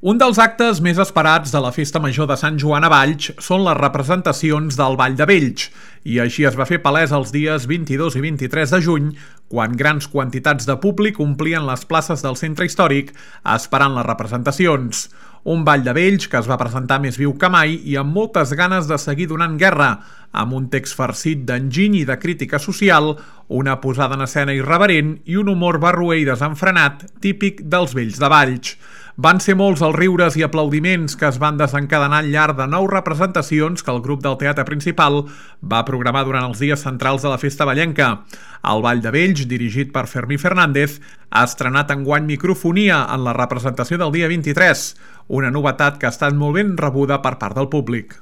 Un dels actes més esperats de la Festa Major de Sant Joan a Valls són les representacions del Ball de Vells, i així es va fer palès els dies 22 i 23 de juny, quan grans quantitats de públic omplien les places del centre històric esperant les representacions. Un Ball de Vells que es va presentar més viu que mai i amb moltes ganes de seguir donant guerra, amb un text farcit d'enginy i de crítica social, una posada en escena irreverent i un humor barroer i desenfrenat típic dels vells de Valls. Van ser molts els riures i aplaudiments que es van desencadenar al llarg de 9 representacions que el grup del Teatre Principal va programar durant els dies centrals de la festa vallenca. El Ball de Vells, dirigit per Fermí Fernández, ha estrenat enguany microfonia en la representació del dia 23, una novetat que ha estat molt ben rebuda per part del públic.